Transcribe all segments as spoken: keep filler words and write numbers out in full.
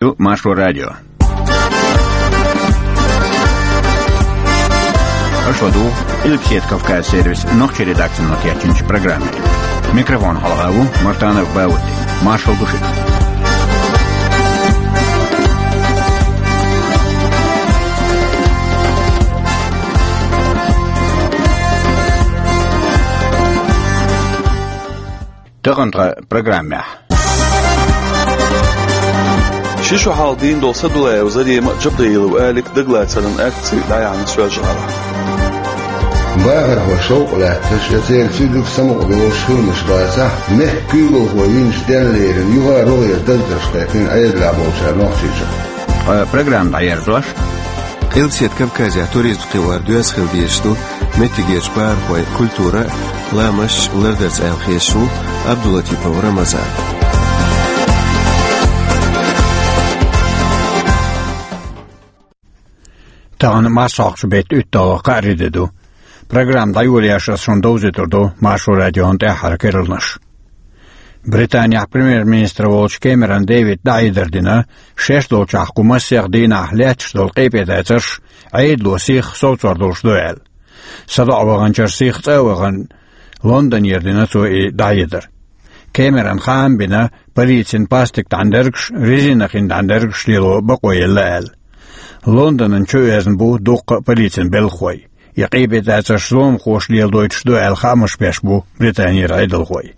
Ду Маршо радио. Аша ду Къилбаседа Кавказ сервис нохчийн редакцино кечйинчу программе. Микрофон хьалха ву Мартанов Баудди. Маршал ду шуьга. Тахана тхан программехь. Ши шо хьалха дийна долу Садулаева Зарема а, Джабраилов Алик а дагалацаран акци дӀаяьхьна Соьлжа-ГӀалахь. Бахархой шовкъ лаьтташ я церан цуьнга самукъадолуш хӀуманаш бацахь, мехкан куьйгалхой винчу денна лерина юха а рогӀера даздарш кхайкхина Ӏедалехь болчара нохчийчуьра. Ткъа программа дӀаерзош. Къилбаседа Кавказехь туризм кхиор доьзна хила дезаш ду, меттигерчу бахархойн культура а, ламасташ а лардарца аьлла хеташ ву Абдулатипов Рамазан. Тахана марсхьокхучу беттан уьтталгӀа кхаарин де ду. Программа дӀайолош аса шуна довзуьйтур ду Маршо радион тӀаьххьара керланаш. Британехь премьер-министр волчу Кэмерон Дэвида дӀахьедар дина, шаьш долчохь кху массех дийнахь лаьтташ долу къепедацарш Ӏедало сиха совцор долуш ду аьлла. СадоӀа ваханчара сиха цӀа а вахана, Лондонера дина цо и дӀахьедар. Кэмерона хаам а бина, полицин пластик дӀандаргаш, резина хин дӀандаргаш лело бакъо елла аьлла. Лондонан чу оьзна бу дуккха а полицин белхахой. И къепедацарш зуламхоша леладойтуш ду аьлла хаамаш беш бу Британера Ӏедалхой.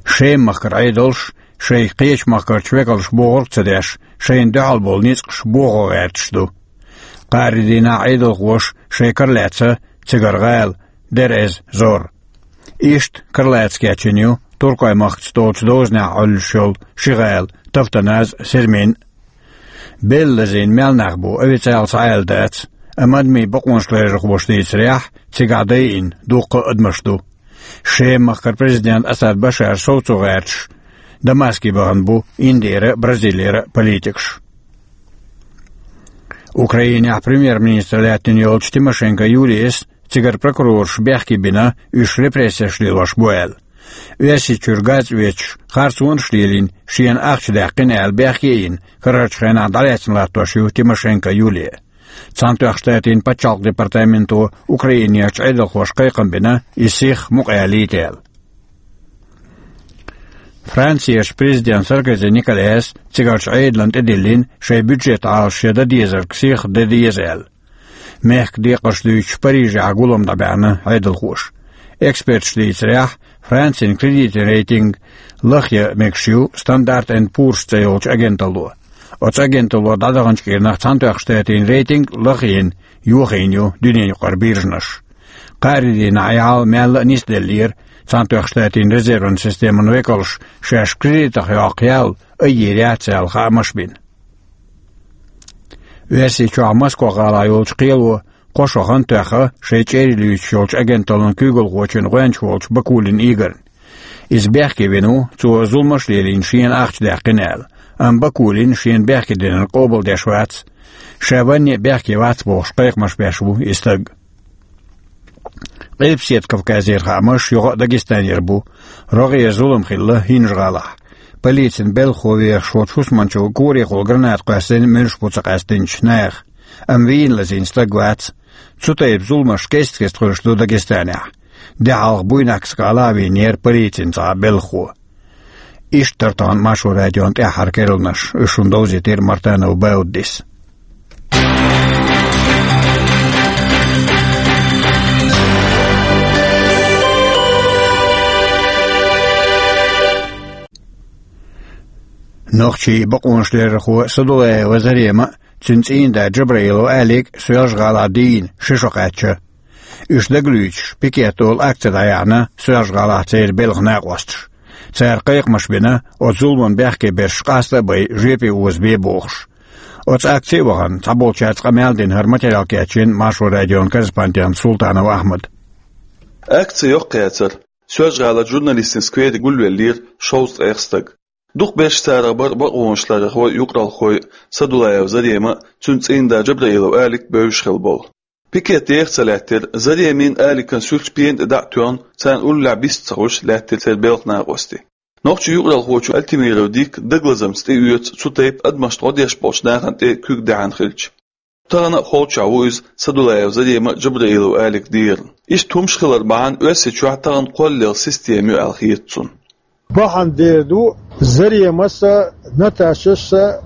Шеман махкара Ӏедалш шайх кхечу махкарчу векалш бохург а ца деш, шайна дуьхьал болу ницкъаш бохо гӀерташ ду. Кхаарин дийнахь Ӏедалхоша шайн кара лаьцна цигара гӀала, Дейр-эз-Зор. Иштта кара лаца кечйина ю Туркойн махкаца долчу дозанехь Ӏуьллуш йолу ши гӀала, Тафтаназ а, Сермин а. Белла лазийна мел нах бу, официалан цхьа а аьлла дац, амма адамийн бакъонаш ларъярхоша дийцарехь, цигахь дайина дуккха а адамаш ду. Шеман махкара президент Асад Башар совцо гӀерташ Дамаске бахана бу Индера а, Бразилера а политикаш. Украинехь премьер-министр лаьттина йолчу Тимошенко Юлияс цигара прокурорша бехке бина, уьш репрессеш лелош бу аьлла. Оьрсийчуьра газ оьцуш, харцонаш а лелийна, шена ахча даьккхина аьлла бехке а йина, карарчу хенахь дӀалаьцна латтош ю Тимошенко Юлия. Цхьаьнатоьхначу Штатийн пачхьалкхан департаменто Украинерчу Ӏедалхошка кхайкхам бина, иза сиха мукъаялийта аьлла. Францерчу президента Саркози Николас цигарчу Ӏедална тӀедиллина шайн бюджетан Ӏалашо дан дезарг сиха дан деза аьлла. Мехкан декхарш дуьйцуш Парижехь гулам дӀабаьхьна Ӏедалхоша. Эксперташа дийцарехь, Францин кредитан рейтинг лахъян мегаш ю Стандарт энд Пурс цӀе йолчу агенталло. Оцу агенталло дӀадаханчу кӀирнах Цхьаьнатоьхначу Штатийн рейтинг лахъйина йохийна ю дуьненаюкъара биржанаша. Кхаарин дийнахь и хьал мелла а нисделлера, Цхьаьнатоьхначу Штатийн резерван системан векалша шаьш кредитах йоккху ял айъийр яц аьлла хаамаш бина. Оьрсийчохь Москва-гӀалахь йолчу кхело кхо шо хан тоьхна шайн чӀерий луьйчуш йолчу агенталлин куьйгалхочун гӀоьнча волчу Бакулин Игорна. Иза бехке вина ву, цо зуламаш а лелийна, шена ахча даьккхина аьлла, амма Бакулин шена бехке динарг къобалдеш вац. Ша ванне а бехке вац бохуш, кхайкхамаш беш ву и стаг. Къилбаседа Кавказера хаамаш юха а Дагестанера бу. РогӀера зулам хилла ХӀинжа-гӀалахь. Полицин белхахо вехаш волчу хӀусамнанчо корехула граната кхоьссина муьлш бу ца къаьстинчу наха, амма вийна лазийна стаг вац. Цу тайпа зуламаш кест-кеста хуьлуш ду Дагестанехь. Де хьалха Буйнакск-гӀала а вийнера полицин цхьа белхахо. Иштта дара тахана Маршо радион тӀаьххьара керланаш, уьш шуна довзийтира Мартанов Бауддис. Нохчийн бакъонаш ларъярхо Садулаева Зарема а, цуьнан цӀийнда Джабраилов Алик а Соьлжа-ГӀалахь дийна ши шо кхаьчна. Уьш дагалуьйчуш, пикет олу акци дӀаяьхьна Соьлжа-ГӀалахь церан белхан накъосташа. Цара кхайкхамаш бина, оцу зуламан бехке берш къаста а бай, жоьпе озабе бохуш. Оцу акци а вахана, цхьаболчаьрца къамел а дина, хӀара материал кечйина Маршо радион корреспондента Султанов Ахьмада. Акци йоккхаяцара. Соьлжа-ГӀалахь журналистийн сквере гулвеллера шовзткъе ткъа стаг. Дукхахберш царах бара бакъонаш ларъярхой, юкъаралхой, Садулаева Зарема а, цуьнан цӀийнда Джабраилов Алик а бевзаш хилла болу. Пикет деха ца лаьттира, Заремин а, Аликан а суьрташ пена тӀе дӀа а тоьхна, царна уллехь бист а ца хуьлуш, лаьттира церан белхан накъостий. Нохчийн юкъаралхочо Альтимиров Дика дагалазамца тӀеоьцу цу тайпа адамашта гӀо деш болчу нахана тӀе куьг даьхьна хилча. Тахана а холчохь ву иза Садулаев Зарема а, Джабраилов Алика а деран. Иштта хӀумаш хилар бахьана Оьрсийчохь тахана кхоллалла система ю аьлла хета цунна. Бахьана дер ду, Заремас а, Наташас а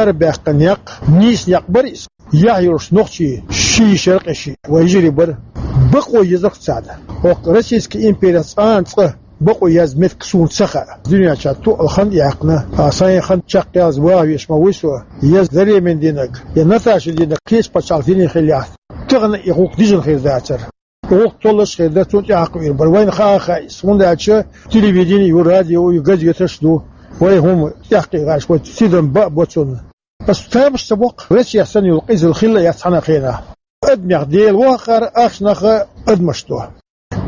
арабаьккхина некъ, нийса некъ бара иза. Яхь йолуш нохчий ши йиша, ши къеший вайн йижарий бара. Бакъо езарх царна. ХӀокху Российский имперехь цкъа а цкъа бакъо яза меттиг суна ца хаьа. Дуьнен чохь тоъал хан а яьккхина, а, сайн хан чекхъялаза ваха везаш ма вуй со, я Заремин динарг, я Наташин динарг кхечу пачхьалкхан динехь хиллехь, тахана и гӀуллакх дижина хир дацара. ГӀуллакх толлуш а хир дара, цунна тӀехьакха вийр бара. Вайна хаа а хаьа иза, хӀунда аьлча телевидени ю, радио ю, газеташ а ду. Вай хӀума тӀехкхийгӀаш, вай тидам бан а бо цунна. Ас тамаш ца боккху, Россехь санна йолу къизалла хилла а яц цхьана а хенахь. Адамех Дела ву хьакхара, ахчанах а адамаш до.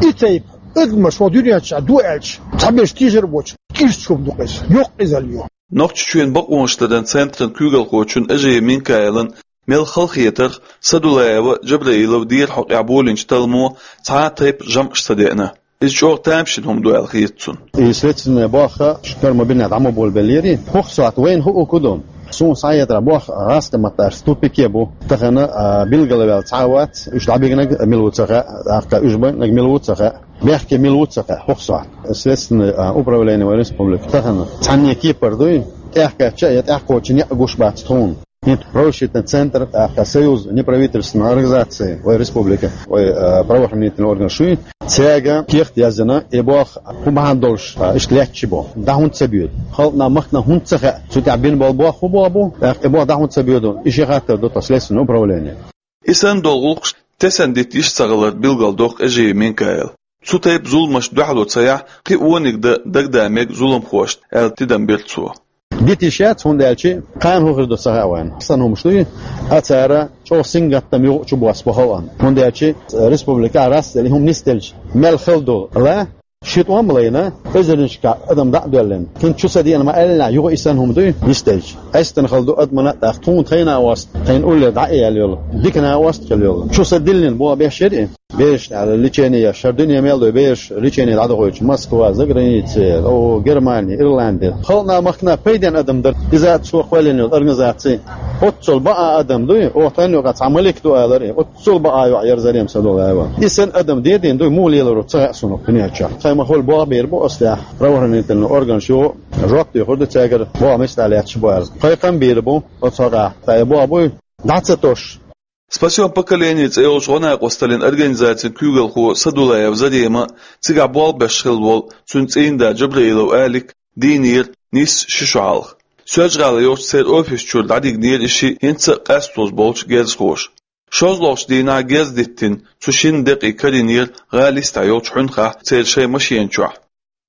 И тайпа адамаш хӀокху дуьнен чохь ду аьлча, цхьаберш тийшар а боцуш, кирсачу хӀума ду-кх иза, йоккха къизалла ю. Нохчийчоьнан бакъонаш даран центран куьйгалхочун Эжиев Минкаилан мел хала хетарх, Садулаева а, Джабраилов а дера хьокъехь болийначу талламо цхьа а тайпа жамӀаш ца деана. Иза чӀогӀа тамашийна хӀума ду аьлла хета цунна. И следственный болх шуьга ма бина, дӀа ма болабеллера. ХӀокху сохьта вайна хуур ду. Суна схьахетарехь, болх гӀазкхийн маттахь в тупике бу. Тахана, а, билгалваьлла цхьа а вац, уьш дӀабигнарг мила ву ца хаьа, тӀаккха уьш бигнарг мила ву ца хаьа, бехке мила ву ца хаьа хӀокху сохьта. Следственный, а, управление вайн республики тахана цхьанне кепара дуй, тӀехкхаьчча а я тӀехкхочу некъ гуш бац тхуна. ХӀинца правозащитный центр, тӀаккха союз неправительственных организаций вай республика, вай, а, правоохранительный орган шуй, цаьрга кехат яздина, и болх хӀун бахьана долуш, а, иштта лаьтташ бу, дӀа хӀунда ца боьду. Халкъана, махкана хӀунда ца хаьа, цу тӀехь бина болу болх хӀун болх бу, тӀаккха и болх дӀа хӀунда ца боьду, и шен хаттар ду тхан следственное управление. И санна долу гӀуллакхаш тесна дита йиш ца хилар билгалдоккху Эжиев Минкаила. Цу тайпа зуламашна дуьхьало ца яхь, кхин а вониг дан дагадаа мега зуламхошна, аьлла тидам бира цо. Дита йиш яц, хӀунда аьлча кхана хӀун хир ду ца хаьа вайна. Сан хӀумаш дуй, а цара чӀогӀа сингаттам юкъа чу босса бу халкъана. ХӀунда аьлча республикехь растдели хӀума нисделча мел хала ду ла, ши тӀом а лайна, эзарнашкахь адам дӀа а доьллина. ХӀинца чу ца деана ма аьллинехь, юха и санна хӀума дуй нисделча. Къаьстина хала ду адамана а, тӀаккха тхуна тхайн накъост, тхайна уллера дӀа а яьлла йолу дика накъост а хилла йолу. Чу ца диллина боху беш яра и. Бераш тӀехь лечение еш, хӀара дуьне мел ду бераш лечение дӀадохуьйтуш, Москва, заграница, о, Германия, Ирландия. Халкъана, махкана пайденна адам дара иза, цо кхоьллина йолу организаци. Оццул бакъ адам дуй, оха тайна юкъахь цхьа малик ду алара и. Оццул бакъ йоӀ яра Зарема Садулаева. И санна адам дедийна дуй, муха лелар ву ца хаьа суна дуьнен чохь. Тхайн ма хуьлу болх бийр бу оцу тӀехь правоохранительный органаш юха жоп доьхур ду цаьргара, боху меттехь лаьтташ бу аьлла. Кхайкхам бийр бу оцу хьокъехь, тхайн боху буй дӀа ца тосуш. «Спасём поколение» цӀе йолчу гӀо-накъосталлин организацин куьйгалхо Садулаев Зарема а, цигахь болх беш хилла волу цуьнан цӀийнда Джабраилов Алик а дийнера нийсса ши шо хьалха. Соьлжа-ГӀалахь йолчу церан офис чуьра дӀадигнера и шиъ хӀинца а къасталуш болчу герзахоша. ШозлагӀчу дийнахь герз диттина, цу шинна декъий карийнера гӀала йистехь йолчу хьуьнхахь церан шайн машена чохь.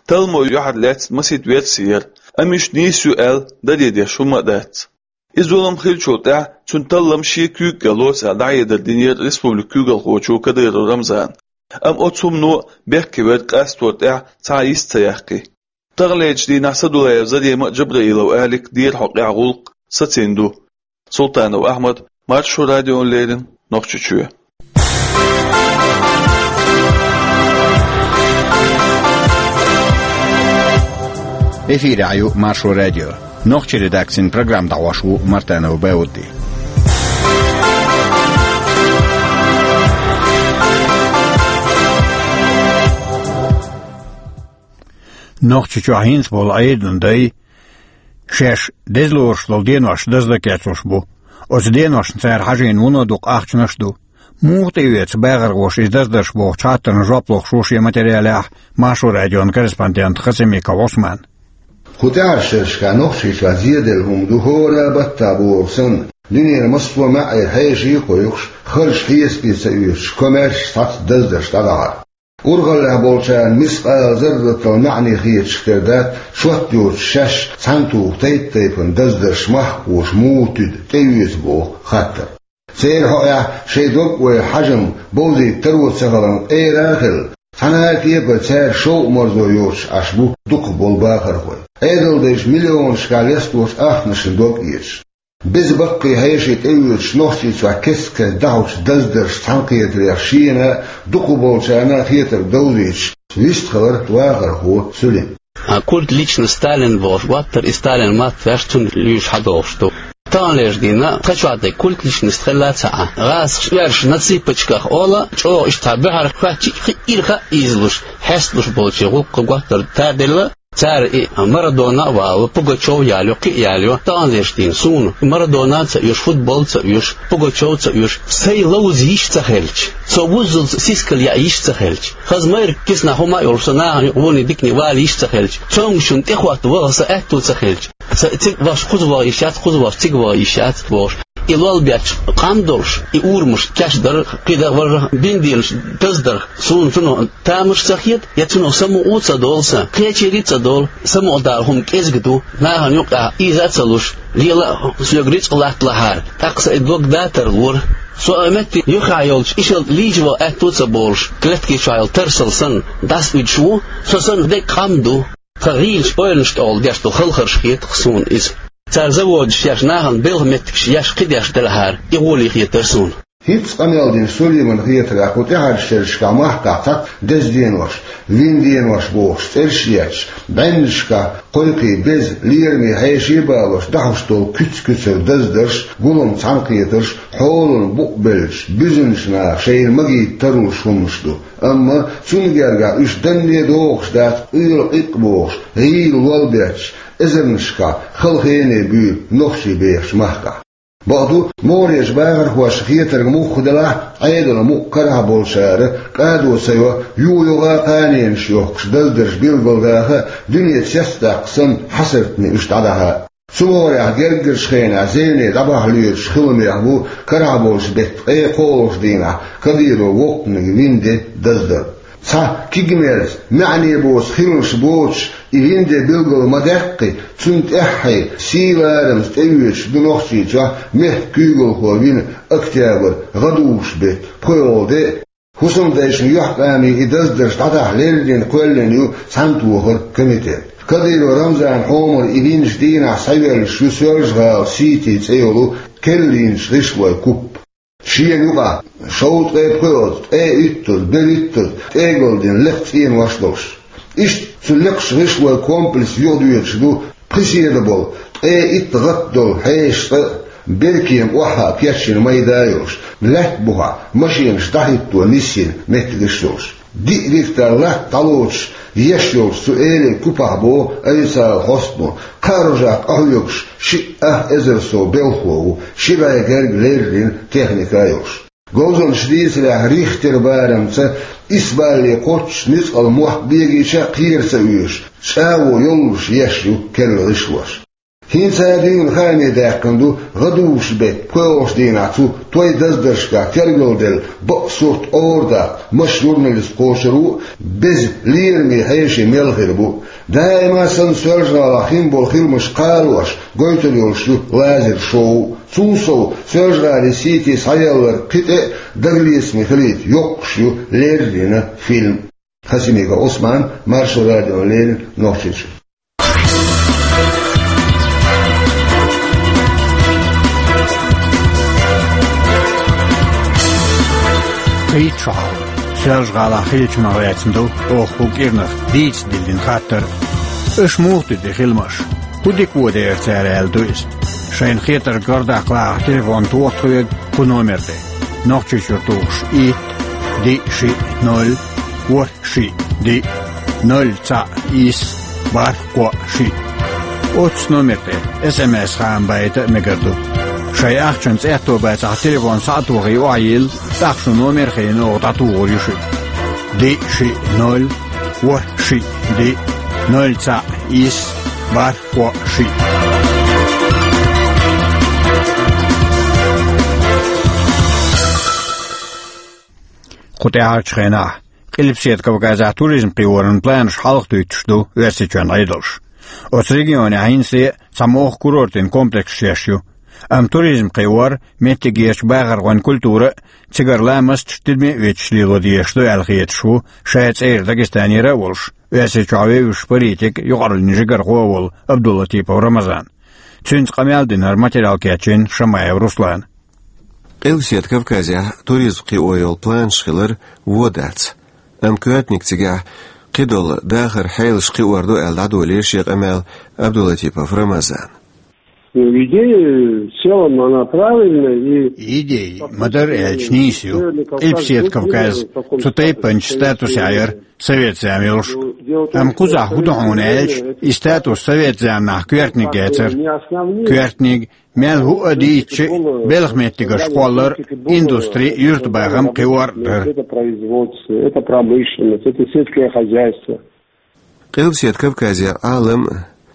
Талламо юьхьарлаьцна масийтта верси яра, амма уьш нийса ю аьлла, даре деш хӀумма а дац. И зулам хиллачул тӀаьхьа цуьнан таллам шен куьйга лоцу аьлла, дӀахьедар динера республикан куьйгалхочо Кадыров Рамзана. Амма оцу хӀумано бехке верг къастор тӀехь цхьа а йист ца яьккхи. Таханлерчу дийнахь Садулаев Зарема а, Джабраилов Алик а дера хьокъехь гӀуллакх сацийна ду. Султанов Ахьмад, Маршо радиона леррина, Нохчийчоь. Эфирехь ю Маршо радио. Нохчийн редакцин программа дӀахьош ву Мартанов Баудди. Нохчийчохь хӀинца болу Ӏедалан дай шаьш дезалоруш долу денош даздан кечлуш бу. Оцу деношна цара хьажийна вуно дукха ахчанаш а ду. Муха тӀеоьцу бахархоша иза даздарш бохучу хаттарна жоп лохуш ву шен материалехь Маршо радион корреспондент Хасимиков Ӏусман. Кху тӀаьхьарчу шерашкахь Нохчийчохь зеделла хӀума ду хӀора а баттахь бохург санна. Дуьненан массо а маьӀӀера хьеший а кхойкхуш, харжаш хьесапе ца оьцуш, комаьрша цхьацца даздарш дӀадахьар. Урхаллехь болчарна мискъала зарратал маьӀне хеташ тера дац, шот йоцуш шаьш цхьаьнатуху тайп-тайпана даздарш махкахоша муха туьду, тӀеоьцу боху хаттар. Церан хьокъехь шайн дог а ойла, хьажам бовзийта таро ца хиларна къера а хилла, цхьана а кепара цаьрца шовкъ-марзо йоцуш Ӏаш бу дукхахболу бахархой. Ӏедалдайша миллионашкахь лесточу ахчанашна дог а эцаш. Беза баккхий хьеший тӀеоьцуш, Нохчийчохь кест-кеста дӀахьочу даздаршца цхьаьнакхетарех шена а, дукхахболчарна а хетарг довзуьйтуш вистхилира вахархо Сулим. А культ личности Сталин бохуш, ваттара и Сталин ма-ваьш, цунна луьйш хьадохуш ду. Таханлерчу дийнахь тхан чохь дерг культ личности хилла ца Ӏа. ГӀазкхаша оьрсаша на цыпочках олу, чӀогӀа иштта цхьа буьхьарах хӀоьттича, кхин ирха а ийзалуш, хьесталуш болчийн гӀуллакх кху готтара таделла. Цара и Марадона а валу, Пугачёв ялайо, кхин а ялайо, таханлерчу дийнахь суна Марадона а ца оьшу, футбол а ца оьшу, Пугачёв а ца оьшу, сайн ловза йиш ца хилча, со вуззалц сискал яа йиш ца хилча, хаза майрра киснахь хӀума а йолуш, со нахана юкъа вуно дикане вала йиш ца хилча, цомгушчунна тӀехӀотта ваха сан аьтту ца хилча, сан цига вахча кхуза ваха йиш яц, кхуза вахча цига ваха йиш яц бохуш. И лол бетташ къам долуш, и урамаш кечдар, кхидӀа важа бинделаш даздар, суна цунах тамаш ца хета, я цунах самукъа а ца долу сан, кхечийриг а ца долу, самукъадала хӀума кӀезиг ду, нахана юкъахь ийза а ца луш, лела а соьга рицкъ латталахьара, тӀаккха сан и дог датар лора. Со а метте юххехь йолчу ишалла лийча ваха аьтту а ца болуш, клетки чохь йолу тарсал санна, дӀасауьдуш ву, со санна дерг къам ду. Тхан гӀийлачу ойланаш тӀехула деш долу халхарш хета-кх суна иза. Цара заводаш еш, нахана белхан меттигаш еш, кхидӀа еш делахьара, и гӀоле хетара суна. ХӀинцца къамел дина Сулеймана хетарехь, кху тӀаьхьарчу шерашкахь махкахь цхьацца деза денош, вина денош бохуш цӀераш а етташ, бӀеннашкахь кхойкхий беза, лераме хьеший а балош, дӀахьош долу куьц-куьцара даздарш, гулам цхьаьнакхетарш, хьолан букъ беллачу буьзначу наха шайна магийта тарлуш хӀуманаш ду. Амма цунна гергахь уьш данне дохуш дац, къоьлла къикъ бохуш, гӀийла лол бетташ, эзарнашкахь халахене буьйлу нохчий бехачу махкахь. Бакъду, могӀарерчу бахархошна хетарг муха делахь а, Ӏедалан мукъ карахь болчара кӀадо ца йо, юха-юха а кханенаш йохкуш даздарш билгалдаха а, дуьне цецдаккха санна хьасартна уьш дӀадахьа а. Цу могӀарехь герггарчу хенахь зене дӀабахьа лоьруш хиламех бу карахь болчу беттан ткъе кхоалгӀачу дийнахь Кадыровн воккханиг вина де даздар. Цхьа кегамеллаца, маьӀне боцу хиларш боцуш, и вина де билгал ма-даьккхи, цунна тӀаьххье сий-ларамца тӀеоьцуш ду Нохчийчохь мехкан куьйгалхо вина октябрь, гӀадужу беттан пхоьалгӀа де а. ХӀусамдайшна юьхькӀаме и даздарш дӀадахьа леррина кхоьллина ю Цхьаьнатохаран комитет. Кадыров Рамзанан хьомара и винчу дийнахь схьайоьллуш ю Соьлжа-ГӀалин «Сити» цӀе йолу керла йинчу гӀишлойн куп. Шена юкъахь шовзткъе пхоьалгӀа, ткъе уьттазза, берхӀиттазза тӀегал дина лекха цӀенош долуш. Иштта цу лекхачу гӀишлойн комплексна юхадоьдуш ду пхи седа болу, ткъе итт гӀатта долу хьеша цӀа а, беркема охьа а кечйина майда а йолуш, лаьтта бухахь машенаш дӀахӀитто ниссина меттигаш а йолуш. Диъ гектар латта дӀалоцуш еш йолчу цу элин купахь боху официалан хьостано, кхаа рожехь къахьоьгуш шиъ ах эзар сов белхало ву, ши бӀе герга леррина техника а йолуш. Говзанчаша дийцарехь, Рихтер барамца исс балле кхоччуш ницкъала мохк бегийча а кхера ца оьшу, чӀагӀо йоллуш еш ю керла гӀишлош. ХӀинца а дуьйна хааме даьккхина ду гӀадужу беттан пхоьалгӀачу дийнахь цу той даздаршкахь тергалделла бакъ сурт ора даккха, маша журналист кхочур ву а, беза лераме хьеший мел хир бу а. Даима санна Соьлжа-ГӀалахь хин болу хиламаш кхалош гойтур йолуш ю лазер-шоу. Цул сов, Соьлжа-ГӀалин «Сити» схьаелларг кхин тӀе а дагалецаме хилийта йоккхуш ю леррина фильм. Хасимиков Ӏусман, Маршо радиона леррина, Нохчийчуьра. Кхеччахьа, Соьлжа-ГӀалахь хиллачунах лаьцна ду оха хӀокху кӀирнах дийца диллина хаттар. Аша муха дуьту и хиламаш? ХӀун дика воьду цара аьлла ду иза? Шайна хетарг гӀардаккха лаахь, телефон тоха тхоьга кху номер тӀе. Нохчийчуьра тухуш: итт, диъ, шиъ, ноль, ворхӀ, шиъ, диъ, ноль, цхьаъ, исс, бархӀ, кхоъ, шиъ. Оццу номер тӀе СМС-хаам байта а мегар ду. Шайн ахчанца аьтто бацахь, телефон схьа а тохий, охьайилла, тӀаккха шун номер а хиъна, оха дӀатухур ю шуьга. Диъ, шиъ, ноль, ворхӀ, шиъ, диъ, ноль, цхьаъ, исс, бархӀ, кхоъ, шиъ. Кху тӀаьхьарчу хенахь Къилбаседа Кавказехь туризм кхиоран планаш хьалха дуьйцуш ду Оьрсийчоьнан Ӏедалш. Оцу регионехь хӀинца а цхьа могӀа курортийн комплексаш еш ю. Амма туризм кхиор меттигерчу бахархойн культура а, цигара ламасташ тидаме а оьцуш лело дезаш ду аьлла хеташ ву, ша цӀера Дагестанера а волуш, Оьрсийчохь вевзаш политик, юкъараллин жигархо а волу Абдулатипов Рамазан. Цуьнца къамел динарг материал кечйина Шамаев Руслана. Къилбаседа Кавказехь туризм кхио йолу планаш хилар вон дац. Амма коьртаниг цигахь кхидолу дахар хьелаш кхиор ду аьлла дӀадолийра шен къамел Абдулатипов Рамазана. Ну, идея в целом, она правильная, и... Идея ма-дарра аьлча нийса ю. Къилбаседа Кавказ цу тайпанчу статусехь яра совет зама йолуш. Амма кхузахь хӀун ду хьуна аьлча, и статус совет заманахь коьртаниг яцара. Коьртаниг, мел хӀуъа дийцча, белхан меттигаш кхоллар, индустри, юьртабахам кхиор дара. Это производство, это промышленность, это сельское хозяйство. Къилбаседа Кавказера Ӏалам,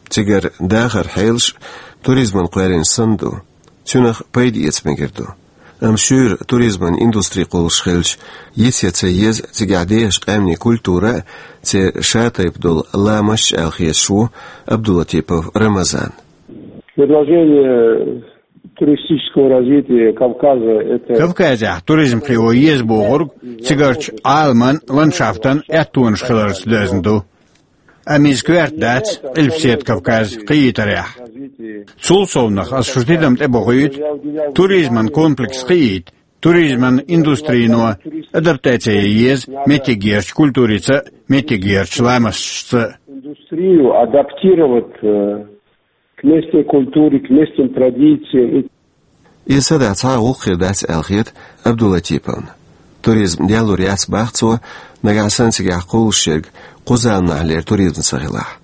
цигара дахар хьелаш туризман кхоьллина санна ду. Цуьнах пайда эца мегар ду. Амма шуьйра туризман индустри кхуллуш хилча, йиц я ца еза цигахь дехаш къаьмнийн культура а, церан шатайпа долу ламасташ аьлла хеташ ву Абдулатипов Рамазан. Предложение туристического развития Кавказа, это... Кавказехь туризм кхио еза бохург цигарчу Ӏаламан, ландшафтан аьттонаш хиларца доьзна ду. Амма иза коьрта дац Къилбаседа Кавказ кхиийтарехь. Цул совнах аса шу тидам тӀебохуьйту туризман комплекс кхиийта, туризман индустрино адаптаци ян еза меттигерчу культурица а, меттигерчу ламасташца а. Индустрию адаптировать, э, к местной культуре, к местным традициям. Иза садаӀа цхьа а гӀуллакх хир дац аьлла хета Абдулатиповна. Туризм даьллур яц, бах цо, нагахь санна цигахь кхуллуш ерг кху заманахьлера туризм ца хилахь.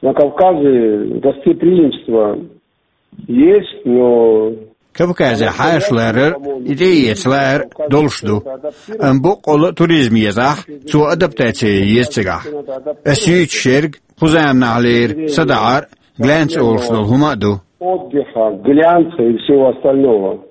На Кавказе гостеприимство есть, но... Кавказехь хьаша ларар, и тӀеэца лаар долуш ду. Амма боккъалла а туризм езахь, цо адаптаци ян еза цигахь. Ас юьйцуш ерг кху заманахьлера садаӀар, глянц олуш долу хӀума а ду. Отдыха, глянца и всего остального.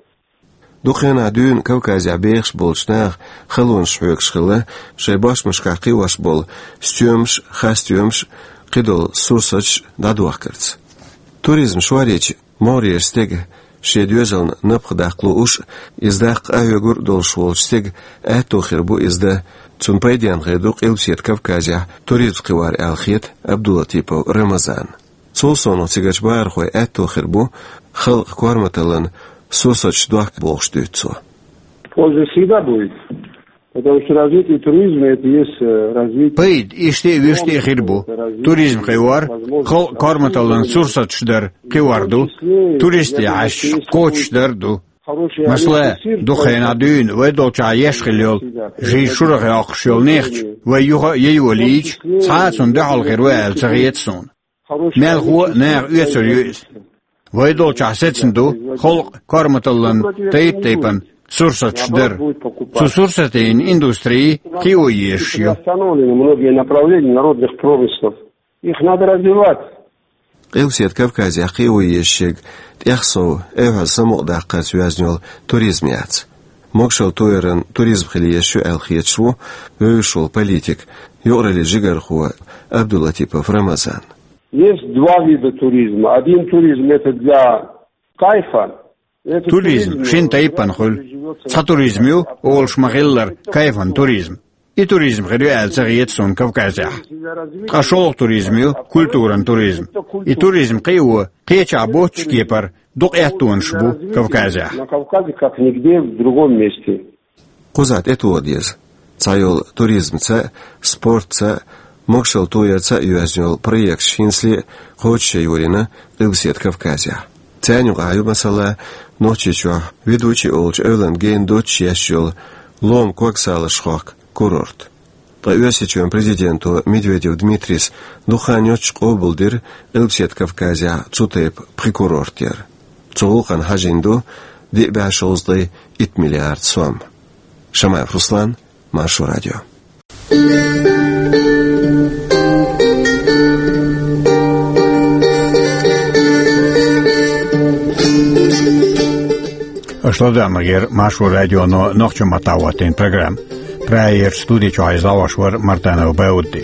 Дукха хенахь дуьйна Кавказехь бехаш болчу наха халонаш хьоьгуш хилла, шайн бошмашкахь кхиош болу стоьмаш, хасстоьмаш, кхидолу сурсаташ дӀадохкарца. Туризм шоръечу могӀарера стеган шен доьзална напха даккха лууш а, иза даккха къахьоьгур а долуш волчу стеган аьтто хир бу иза дан. Цунна пайденна хир ду Къилбаседа Кавказехь туризм кхиор аьлла хета Абдулатипов Рамазанна. Цул совнах цигарчу бахархойн аьтто хир бу халкъан корматаллан сурсаташ дохка бохуш дуьйцу цо. Польза всегда будет, потому что развитие туризма — это есть, э, развитие... Пайда иштта а, вуьшта а хир бу. Туризм кхиор халкъан корматаллан сурсаташ дар кхиор ду, туристийн хьашташ кхочушдар а ду. Масала, дукха хенахь дуьйна вай долчохь еш хилла йолу, жиз шурах йоккхуш йолу нехча, вай юха а яйолийча, цхьа а цунна дуьхьал хир ву аьлла ца хета суна. Мелхо а наха оьцур ю иза. Вай долчохь сецна ду халкъан корматаллан тайп-тайпана сурсаташ дар. Цу сурсатийн индустрий кхио езаш ю. Остановлены многие направления народных промыслов. Их надо развивать. Къилбаседа Кавказехь кхио езаш ерг тӀех сов, айхьаза самукъадаккхарца йоьзна йолу туризм яц. Могашалла тояран туризм хила езаш ю аьлла хеташ ву вевзаш волу политик, юкъараллин жигархо Абдулатипов Рамазан. Есть два вида туризма. Один туризм — это для кайфа. Туризм шина тайпана хуьлу. Цхьа туризм ю, олуш ма-хиллара, кайфан туризм. И туризм хир ю аьлла ца хета суна Кавказехь. Ткъа шолгӀа туризм ю, культуран туризм. И туризм кхио кхечахь боцчу кепара дукха аьттонаш бу Кавказехь. На Кавказе, как нигде в другом месте. Кхузахь тӀетоха деза. Цхьайолу туризмца а, спортца а, могашалла тоярца а йоьзна йолу проекташ хӀинцале а кхочушъян йолийна Къилбаседа Кавказехь. Царна юкъахь ю, масала, Нохчийчохь Ведучи олучу эвлан гена доццуш еш йолу лома ког салазаш хохку курорт. Ткъа Оьрсийчоьнан президенто Медведев Дмитрийс дукха хан йоццуш къобалдира Къилбаседа Кавказехь цу тайпа пхи курорт яр. Цу гӀуллакхна хьажийна ду диъ бӀе шовзткъе итт миллиард сом. Шамаев Руслан, Маршо радио. Аша ладоьгӀнарг яра Маршо радионо нохчийн маттахь хӀоттийна программа. Прагерчу студи чохь иза лоруш вара Мартанов Баудди.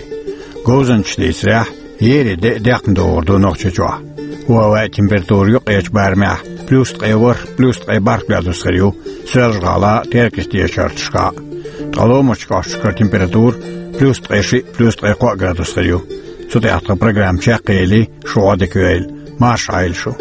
Говзанчаша дийцарехь, еарин де а декхна догӀур ду Нохчийчохь. ХӀаваан температура юккъерчу барамехь плюс ткъе ворхӀ, плюс ткъе бархӀ градус хир ю Соьлжа-ГӀалахь а, Теркаца дешарташкахь а. Ткъа ломарчу кӀошташкара температура плюс ткъе шиъ, плюс ткъе кхоъ градус хир ю. Цу тӀехь тхан программа чекхъели, шу Ӏодика йойла, марша Ӏойла шу.